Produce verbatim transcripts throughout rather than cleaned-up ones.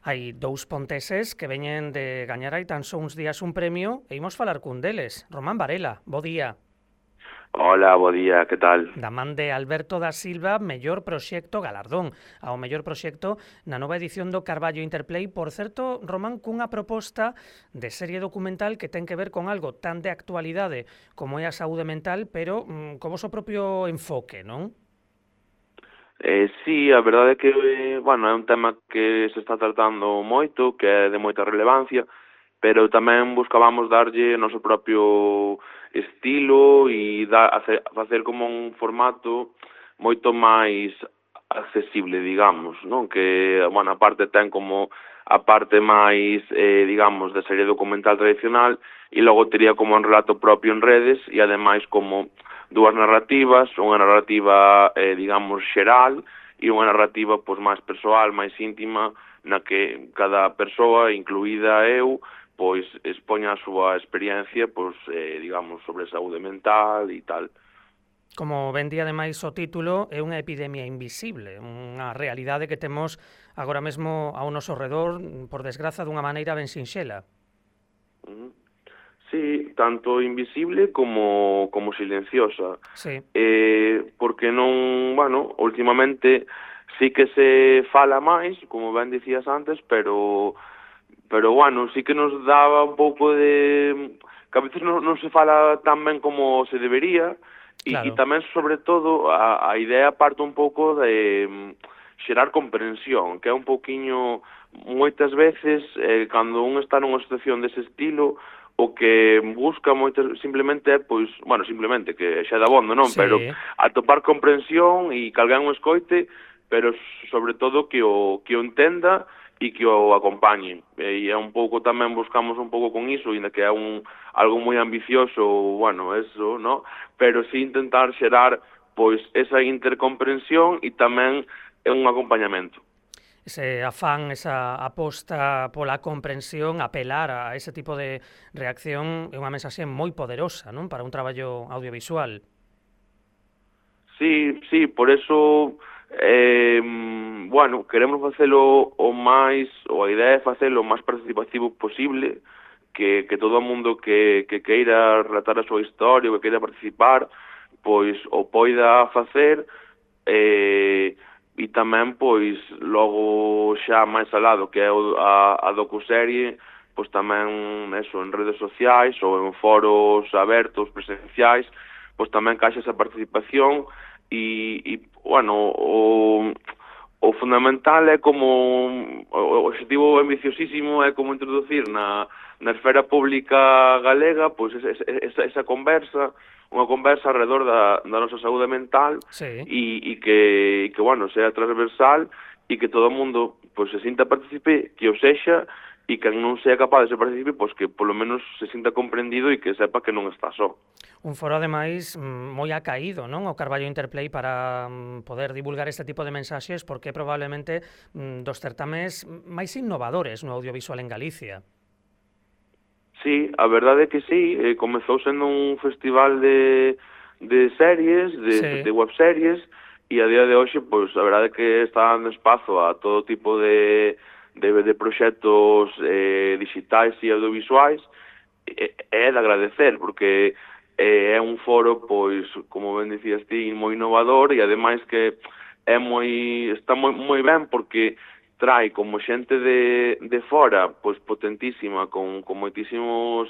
Hai dous ponteses que veñen de gañar hai tan só uns días un premio e imos falar cun deles. Román Varela, bo día. Hola, bo día, que tal? Da man de Alberto da Silva, mellor proxecto galardón ao mellor proxecto na nova edición do Carballo Interplay. Por certo, Román, cunha proposta de serie documental que ten que ver con algo tan de actualidade como é a saúde mental, pero mm, co voso propio enfoque, non? Eh, sí, a verdade é que, eh, bueno, é un tema que se está tratando moito, que é de moita relevancia, pero tamén buscábamos darlle o noso propio estilo e da, hacer, facer como un formato moito máis accesible, digamos, non? Que, bueno, a parte ten como a parte máis, eh, digamos, de serie documental tradicional e logo tería como un relato propio en redes e ademais como dúas narrativas, unha narrativa, eh, digamos, xeral e unha narrativa pois máis persoal, máis íntima, na que cada persoa, incluída eu, pois expoña a súa experiencia, pois, eh, digamos, sobre saúde mental e tal. Como ben di ademais o título, é unha epidemia invisible, unha realidade que temos agora mesmo ao noso redor, por desgraza, dunha maneira ben sinxela. Uh -huh. Sí, tanto invisible como, como silenciosa. Sí. Eh, porque non, bueno, últimamente sí que se fala máis, como ben dicías antes, pero, pero bueno, sí que nos daba un pouco de... que a veces non, non se fala tan ben como se debería, e, e Claro. tamén, sobre todo, a, a idea parte un pouco de mm, xerar comprensión, que é un pouquiño, moitas veces, eh, cando un está nunha situación dese estilo, o que busca moitas simplemente é, pois, bueno, simplemente, que xa é dabondo, non? Pero Sí. atopar comprensión e que alguén o escoite, pero sobre todo que o, que o entenda e que o acompañe. E é un pouco tamén buscamos un pouco con iso, ainda que é un algo moi ambicioso, bueno, eso, no? Pero sí intentar xerar, pois, esa intercomprensión e tamén un acompañamento. Ese afán, esa aposta pola comprensión, apelar a ese tipo de reacción é unha mensaxe moi poderosa, non? Para un traballo audiovisual. Sí, sí, por eso, eh, bueno, queremos facelo o máis, ou a idea é facelo o máis participativo posible, que, que todo o mundo que, que queira relatar a súa historia, ou que queira participar, pois o poida facer, eh, e tamén, pois, logo xa máis alado, que é a, a docuserie, pois tamén, eso, en redes sociais ou en foros abertos, presenciais, pois tamén caixa esa participación e, e bueno, o, o fundamental é como, o objetivo ambiciosísimo é como introducir na, na esfera pública galega, pois esa, esa, esa conversa, unha conversa alrededor da, da nosa saúde mental Sí. e, e que, que, bueno, sea transversal e que todo o mundo, pois, se sinta participe, que o sexa, e que non sea capaz de ser participe, pois que polo menos se sinta comprendido e que sepa que non está só. Un foro, ademais, moi acaído, non? O Carballo Interplay para poder divulgar este tipo de mensaxes, porque probablemente dos certames máis innovadores no audiovisual en Galicia. Sí, a verdade é que sí, eh, comezou sendo un festival de, de series, de, Sí. de webseries, e a día de hoxe, pois, a verdade é que está dando espazo a todo tipo de, de, de proxectos eh, digitais e audiovisuais, e é de agradecer, porque eh, é un foro, pois, como ben dicías ti, moi innovador, e ademais que é moi, está moi, moi ben, porque trae como xente de, de fora, pois potentísima, con, con moitísimos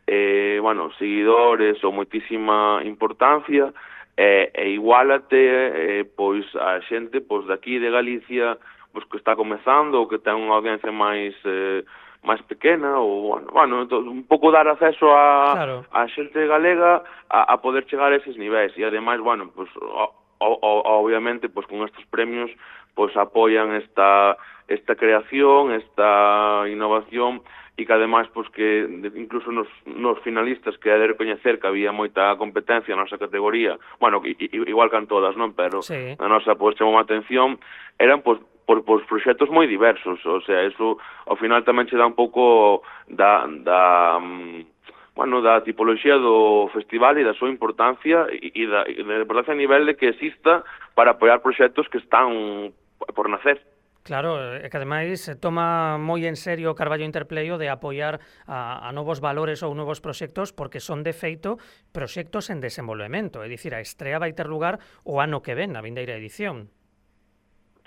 eh, bueno, seguidores ou moitísima importancia, e, e igualate eh, pois a xente pois daqui de Galicia, pois que está comezando ou que ten unha audiencia máis eh, máis pequena, ou, bueno, bueno un pouco dar acceso a, Claro. a xente galega a, a poder chegar a eses niveis, e ademais, bueno, pois, o, o, obviamente, pois con estes premios, pois apoian esta esta creación, esta innovación, e que ademais, pois que incluso nos, nos finalistas, que é de recoñecer que había moita competencia na nosa categoría, bueno, igual que en todas, non? Pero sí. a nosa, pois, chamou a atención, eran, pois, por, por proxectos moi diversos, o sea, eso ao final tamén che dá un pouco da, da bueno, da tipoloxía do festival e da súa importancia e, e da, e da importancia a nivel de que exista para apoiar proxectos que están por nacer. Claro, é que ademais toma moi en serio o Carballo Interplay o de apoiar a, a novos valores ou novos proxectos, porque son de feito proxectos en desenvolvemento, é dicir, a estrea vai ter lugar o ano que ven, na vindeira edición.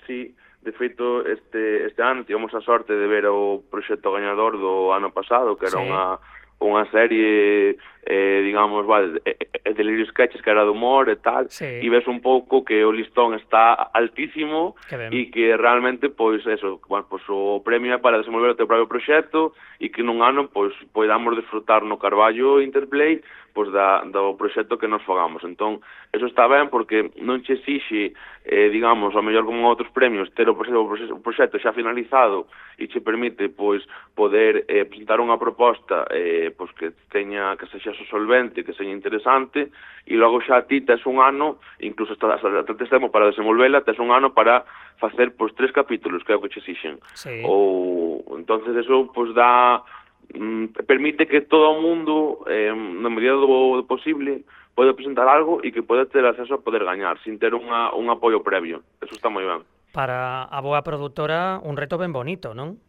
Sí, de feito, este, este ano tivemos a sorte de ver o proxecto gañador do ano pasado, que era Sí. unha unha serie, eh, digamos, vale, de, de Delirious Sketches, que era de humor e tal, Sí. e ves un pouco que o listón está altísimo e que realmente, pois, eso, bueno, pois, o premio é para desenvolver o teu propio proxecto e que nun ano, pois, podamos disfrutar no Carballo Interplay, pois, da, do proxecto que nos fagamos. Entón, eso está ben porque non che exixe, eh, digamos, ao mellor como outros premios, ter o proxecto, o proxecto xa finalizado e che permite, pois, poder eh, presentar unha proposta eh, pois que teña, que sexa solvente, que sexa interesante, e logo xa ti tes un ano, incluso hasta, hasta tes tempo para desenvolvela, tes un ano para facer pois tres capítulos, que é o que che exixen. Sí. Ou, entonces eso, pois, dá, mm, permite que todo o mundo, eh, na medida do, do posible, pode presentar algo e que pode ter acceso a poder gañar, sin ter unha, un apoio previo. Eso está moi ben. Para a boa produtora, un reto ben bonito, non?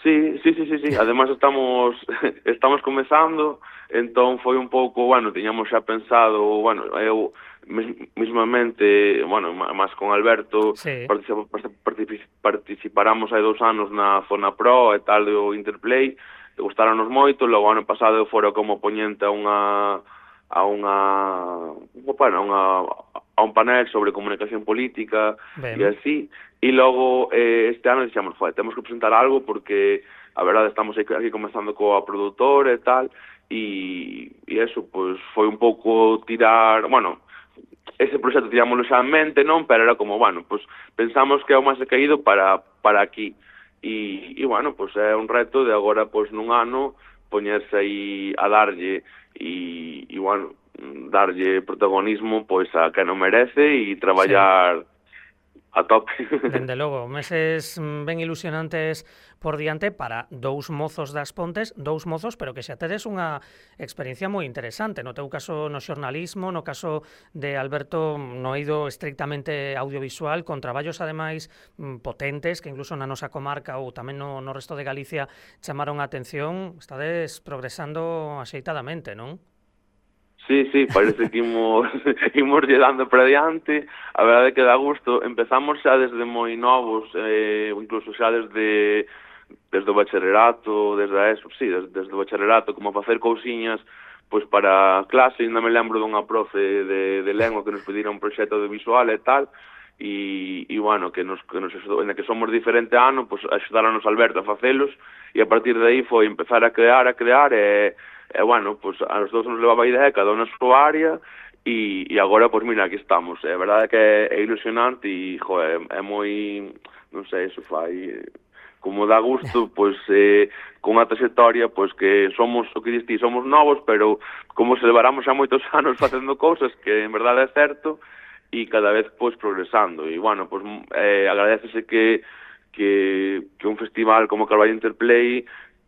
Sí, sí, sí, sí, sí. Además estamos estamos comezando, entón foi un pouco, bueno, tiñamos xa pensado, bueno, eu mismamente, bueno, máis con Alberto, sí. participáramos hai dos anos na Zona Pro e tal do Interplay, gustaronos moito, logo ano pasado eu fora como poñente a unha a unha, bueno, a unha a un panel sobre comunicación política e así, e logo eh, este ano dixemos, joder, temos que presentar algo porque a verdade estamos aquí, aquí comenzando coa produtora e tal, e, e eso, pois, foi un pouco tirar, bueno, ese proxecto tirámoslo xa en mente, non? Pero era como, bueno, pois, pensamos que é o máis caído para, para aquí, e, e bueno, pois é un reto de agora, pois, nun ano, poñerse aí a darlle, e, e bueno, darlle protagonismo pois a que non merece e traballar sí. a tope. Dende logo, meses ben ilusionantes por diante para dous mozos das Pontes, dous mozos, pero que xa tedes unha experiencia moi interesante. No teu caso no xornalismo, no caso de Alberto no eido estrictamente audiovisual, con traballos ademais potentes, que incluso na nosa comarca ou tamén no, no resto de Galicia chamaron a atención. Estades progresando axeitadamente, non? Sí, sí, parece que imos, imos lle dando para diante, a verdade que dá gusto. Empezamos xa desde moi novos, eh, incluso xa desde desde o bacharelato, desde a eso, sí, desde, desde o bacharelato, como facer cousiñas pois para clase. Ainda me lembro dunha profe de, de lengua que nos pedira un proxecto de visual e tal, e, e bueno, que nos, que nos axudou, en que somos diferente ano, pois axudaronos Alberto a facelos, e a partir de aí foi empezar a crear, a crear, e E, bueno, pois, a nos dous nos levaba a idea, cada un na súa área, e, e agora, pois, mira, aquí estamos. É verdade que é, é ilusionante e, joder, é moi, non sei, eso fai, como dá gusto, pois, eh, con unha trayectoria, pois, que somos, o que diste, somos novos, pero como se levaramos xa moitos anos facendo cousas, que en verdade é certo, e cada vez, pois, progresando. E, bueno, pois, eh, agradecese que, que, que un festival como Carballo Interplay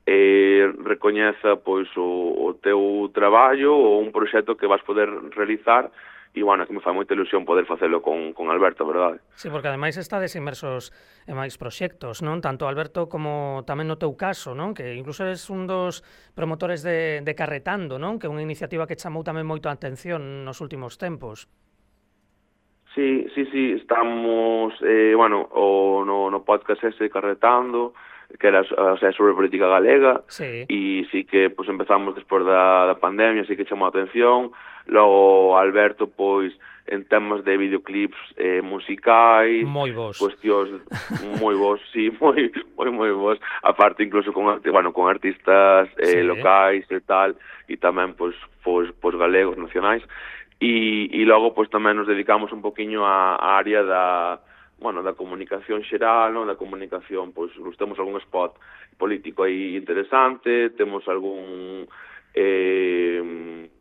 eh, recoñeza pois o, o teu traballo ou un proxecto que vas poder realizar, e, bueno, que me fai moita ilusión poder facelo con, con Alberto, verdade? Sí, porque ademais estades inmersos en máis proxectos, non? Tanto Alberto como tamén no teu caso, non? Que incluso eres un dos promotores de, de Carretando, non? Que é unha iniciativa que chamou tamén moito a atención nos últimos tempos. Sí, sí, sí, estamos, eh, bueno, o, no, no podcast ese Carretando, que era, o sea, sobre política galega, sí. E sí que pues, empezamos despois da, da pandemia, sí que chamou a atención. Logo Alberto, pois, en temas de videoclips eh, musicais, moi vos, cuestións moi vos, sí, moi moi moi vos, aparte incluso con, bueno, con artistas eh, sí. locais e tal, e tamén pois, pois, pois galegos, nacionais, e, e logo pois tamén nos dedicamos un poquinho á, á área da bueno, da comunicación xeral, non? Da comunicación, pois, temos algún spot político aí interesante, temos algún eh,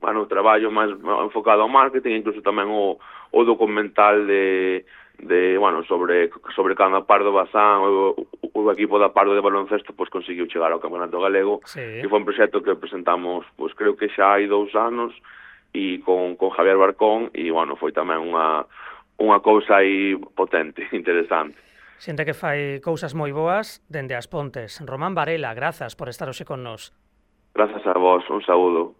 bueno, traballo máis enfocado ao marketing, incluso tamén o, o documental de, de bueno, sobre, sobre cando a Pardo Bazán, o, o equipo da Pardo de baloncesto, pois conseguiu chegar ao Campeonato Galego, sí. Que foi un proxecto que presentamos, pois creo que xa hai dous anos, e con, con Javier Barcón, e, bueno, foi tamén unha unha cousa aí potente, interesante. Xente que fai cousas moi boas dende as Pontes. Román Varela, grazas por estar hoxe con nós. Grazas a vos, un saúdo.